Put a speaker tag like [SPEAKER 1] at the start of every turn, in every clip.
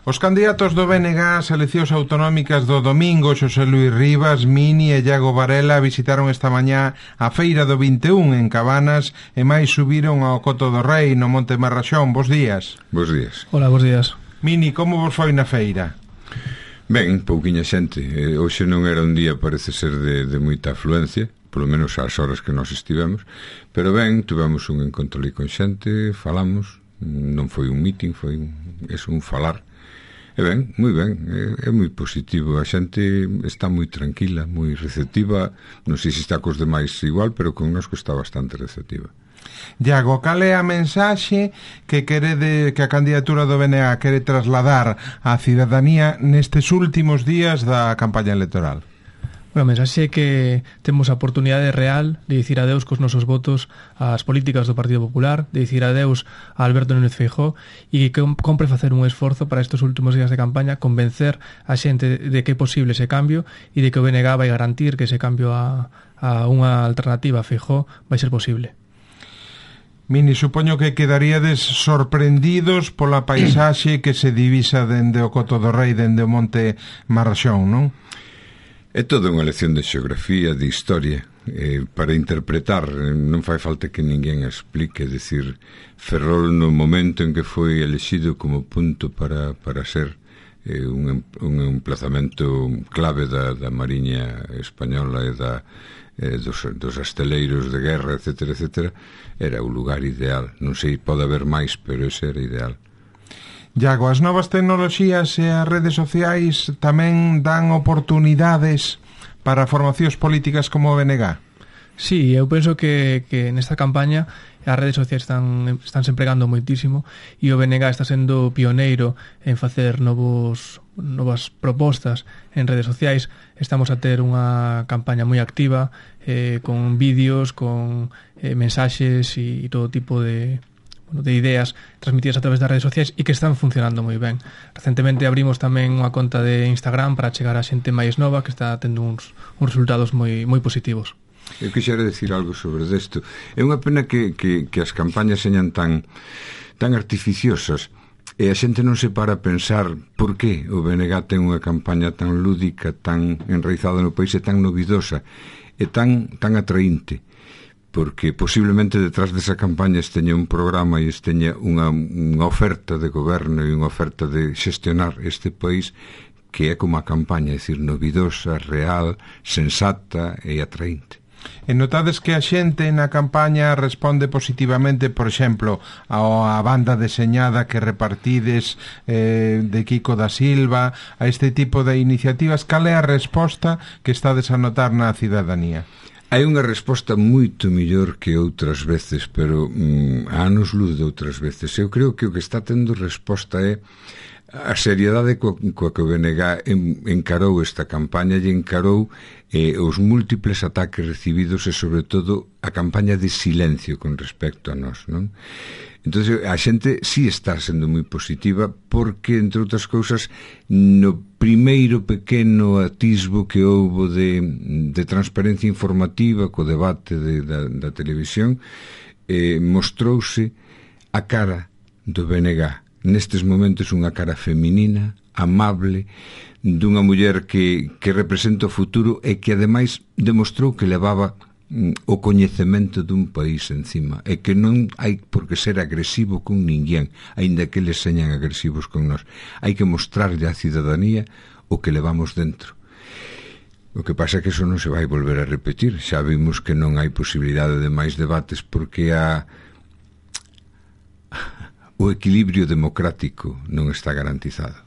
[SPEAKER 1] Os candidatos do BNG ás eleccións autonómicas do domingo, Xosé Luís Rivas, Mini e Iago Varela, visitaron esta mañá a Feira do 21 en Cabanas e máis subiron ao Coto do Rei no Monte Marraxón. Bos días.
[SPEAKER 2] Bos días.
[SPEAKER 3] Hola, bos días.
[SPEAKER 1] Mini, como vos foi na feira?
[SPEAKER 2] Ben, pouquiña xente. Hoxe non era un día, parece ser, de moita afluencia, polo menos ás horas que nós estivemos, pero ben, tuvemos un encontro ali con xente, falamos, non foi un meeting, foi un falar. E ben, moi ben, é moi positivo, a xente está moi tranquila, moi receptiva, non sei se está cos demais igual, pero connosco está bastante receptiva.
[SPEAKER 1] Iago, cal é a mensaxe que a candidatura do BNG quere trasladar á cidadanía nestes últimos días da campaña electoral?
[SPEAKER 3] Bueno, a mensaxe é que temos a oportunidade real de dicir adeus cos nosos votos ás políticas do Partido Popular, de dicir adeus a Alberto Núñez Feijóo e que compre facer un esforzo para estes últimos días de campaña, convencer a xente de que é posible ese cambio e de que o BNG vai garantir que ese cambio a unha alternativa a Feijóo vai ser posible.
[SPEAKER 1] Mini, supoño que quedaríades sorprendidos pola paisaxe que se divisa dende o Coto do Rei, dende o Monte Marraxón, non?
[SPEAKER 2] É toda unha lección de xeografía, de historia, para interpretar. Non fai falta que ninguén explique. Decir, Ferrol no momento en que foi elexido como punto para ser un emplazamento clave da Mariña Española e dos asteleiros de guerra, etc., era o lugar ideal. Non sei, pode haber máis, pero ese era ideal.
[SPEAKER 1] Iago, as novas tecnoloxías e as redes sociais tamén dan oportunidades para formacións políticas como o BNG?
[SPEAKER 3] Sí, eu penso que nesta campaña as redes sociais están se empregando moitísimo e o BNG está sendo pioneiro en facer novas propostas en redes sociais. Estamos a ter unha campaña moi activa con vídeos, con mensaxes e todo tipo de ideas transmitidas a través das redes sociais e que están funcionando moi ben. Recentemente abrimos tamén unha conta de Instagram para chegar a xente máis nova que está tendo uns resultados moi positivos.
[SPEAKER 2] Eu quixera decir algo sobre isto. É unha pena que as campañas señan tan artificiosas e a xente non se para a pensar por que o BNG ten unha campaña tan lúdica, tan enraizada no país e tan novidosa e tan atraínte, porque posiblemente detrás desa campaña esteña un programa e esteña unha oferta de goberno e unha oferta de xestionar este país que é como a campaña, é dicir, novidosa, real, sensata e atraínte.
[SPEAKER 1] E notades que a xente na campaña responde positivamente, por exemplo, a banda deseñada que repartides de Kiko da Silva, a este tipo de iniciativas? Cal é a resposta que estades a notar na cidadanía?
[SPEAKER 2] Hai unha resposta moito mellor que outras veces, pero a anos luz de outras veces. Eu creo que o que está tendo resposta é a seriedade coa que o BNG encarou esta campaña e encarou os múltiples ataques recibidos e, sobre todo, a campaña de silencio con respecto a nós, non? Entón, a xente sí está sendo moi positiva porque, entre outras cousas, no primeiro pequeno atisbo que houbo de transparencia informativa co debate da televisión, mostrouse a cara do BNG. Nestes momentos unha cara feminina, amable, dunha muller que representa o futuro e que ademais demostrou que levaba o coñecemento dun país encima e que non hai por que ser agresivo con ninguén, aínda que eles señan agresivos con nós. Hai que mostrarlle á cidadanía o que levamos dentro. O que pasa é que eso non se vai volver a repetir. Xa vimos que non hai posibilidade de máis debates porque o equilibrio democrático non está garantizado.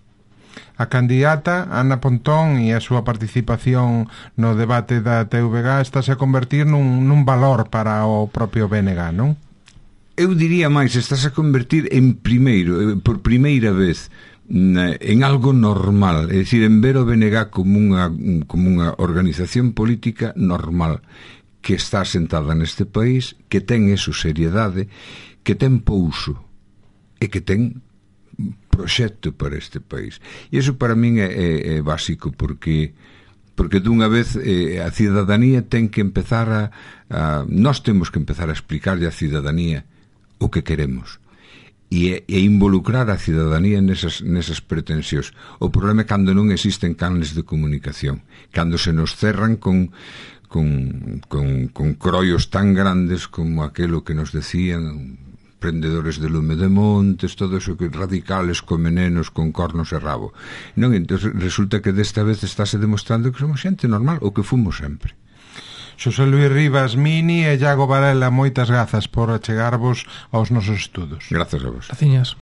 [SPEAKER 1] A candidata Ana Pontón e a súa participación no debate da TVG estáse a convertir nun valor para o propio BNG, non?
[SPEAKER 2] Eu diría máis, estáse a convertir por primeira vez en algo normal, é dicir, en ver o BNG como unha organización política normal que está asentada neste país, que ten eso seriedade, que ten pouso e que ten proxecto para este país. E iso para min é básico porque dunha vez a cidadanía ten que empezar nós temos que empezar a explicarlle á cidadanía o que queremos e involucrar a cidadanía nesas pretensións. O problema é cando non existen canles de comunicación, cando se nos cerran con croios tan grandes como aquelo que nos decían prendedores de lume de montes, todo eso que radicales con venenos, con cornos e rabo. Non, entón resulta que desta vez estáse demostrando que somos xente normal, o que fomos sempre.
[SPEAKER 1] Xosé Luís Rivas Mini e Iago Varela, moitas grazas por achegarvos aos nosos estudos.
[SPEAKER 2] Grazas a vos.
[SPEAKER 3] Graciñas.